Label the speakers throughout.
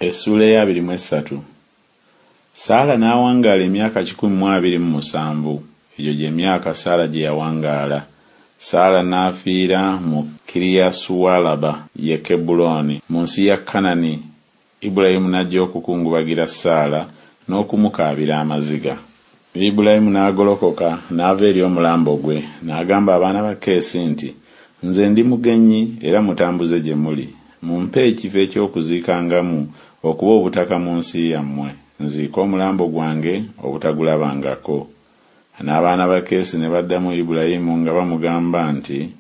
Speaker 1: Essuula ey'abiri mu essatu. Saala n'awangaala emyaka 127, egyo gye myaka Saala gye yawangaala. Saala n'afiira mu Kiriyasuwalaba, ye Kebbulooni, mu nsi ya Kanani. Ibulayimu n'ajja okukungubagira Saala n'okumukaabira amaziga. Ibulayimu n'agolokoka n'ava eri omulambo gwe, n'agamba abaana ba Keesi nti, Nze ndi mugenyi era mutambuze gye muli, mumpe ekifo eky'okuziikangamu okuba obutaka mu nsi yammwe, nziike omulambo gwange obutagulabangako. N'abaana ba Keesi ne baddamu Ibulayimu nga bamugamba nti,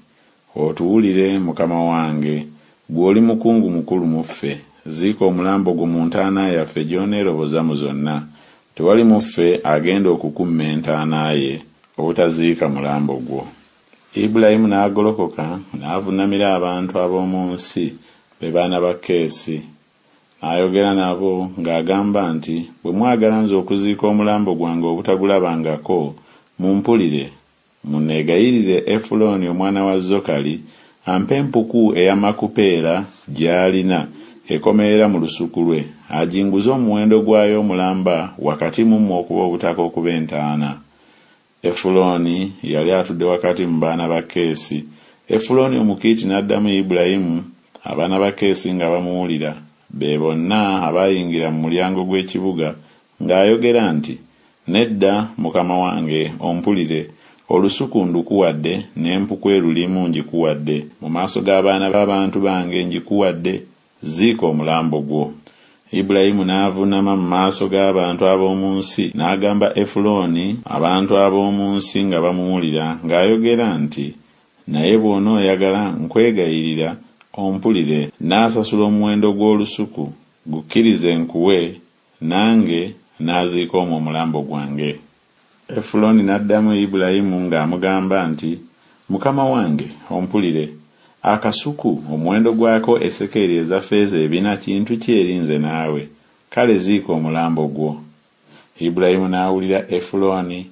Speaker 1: Otuwulire, mukama wange, ggwe oli mukungu mukulu mu ffe, ziika omulambo gwo mu ntaana yaffe gy'oneeroboza mu zonna, tewali mu ffe agenda okukumma entaana ye, obutaziika mulambo gwo. Ibulayimu n'agolokoka n'avunnamira abantu ab'omu nsi, be baana ba Keesi. N'ayogera nabo ng'agamba nti, Bwe mwagala nze okuziika omulambo gwange obutagulabangako, mumpulire, munneegayirire Efulooni omwana wa Zokali ampe empuku eya Makupeera gy'alina ekomerera mu lusuku lwe, aginguze omuwendo gwayo omulamba wakati mu mmwe okuba obutaka okuba entaana. Efulooni yali atudde wakati mu baana ba Keesi. Efulooni Omukiiti n'addamu Ibulayimu, abaana ba Keesi nga bamuwulira, be bonna abaayingira mu mulyango gw'ekibuga, ng'ayogera nti Nedda, mukama wange, ompulire, olusuku ndukuwadde, n'empuku erulimu ngikuwadde, mu maaso g'abaana b'abantu bange ngikuwadde, ziika omulambo gwo. Ibulayimu n'avuunama mu maaso g'abantu ab'omu nsi, n'agamba Efulooni, abantu ab'omu nsi nga bamuwulira, ng'ayogera nti Naye bw'onooyagala, nkwegayirira, ompulire, nnaasasula omuwendo gw'olusuku, gukkirize nkuwe, nange naaziika omwo omulambo gwange. Efulooni n'addamu Ibulayimu ng'amugamba nti Mukama wange, ompulire, akasuku, omuwendo gwako esekeeri eza ffeeza ebina kintu ki eri nze naawe? Kale ziika omulambo gwo. Ibulayimu n'awulira Efulooni,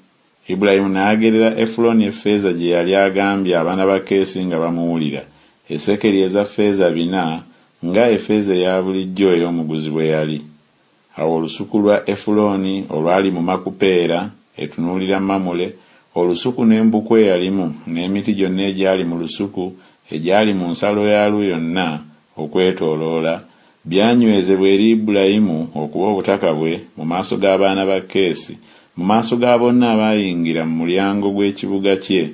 Speaker 1: Ibulayimu n'agerera Efulooni effeeza gye yali agambye abaana ba Keesi nga bamuwulira, esekeri eza ffeeza bina, nga effeeza eya bulijjo ey'omuguzi bwe yali. Awo olusuku lwa Efulooni olwali mu Makupeera, etunuulira Mamule, olusuku n'empuku eyalimu, n'emiti gyonna egyali mu lusuku, egyali mu nsalo yaalwo yonna okwetooloola, byanywezebwa eri Ibulayimu okuba obutaka bwe mu maaso g'abaana ba Keesi, mu maaso ga bonna abaayingira mu mulyango gw'ekibuga kye.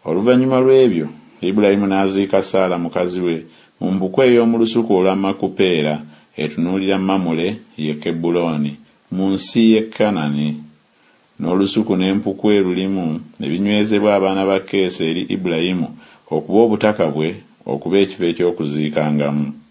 Speaker 1: Oluvannyuma lw'ebyo Ibulayimu n'aziika Saala mukazi we mu mpuku ey'omu lusuku olwa Makupeera, etunuulira Mamule, ye Kebbulooni, mu nsi y'e Kanani. N'olusuku n'empuku erulimu ne binywezebwa abaana ba Keesi eri Ibulayimu okuba obutaka bwe okuba ekifo eky'okuziikangamu.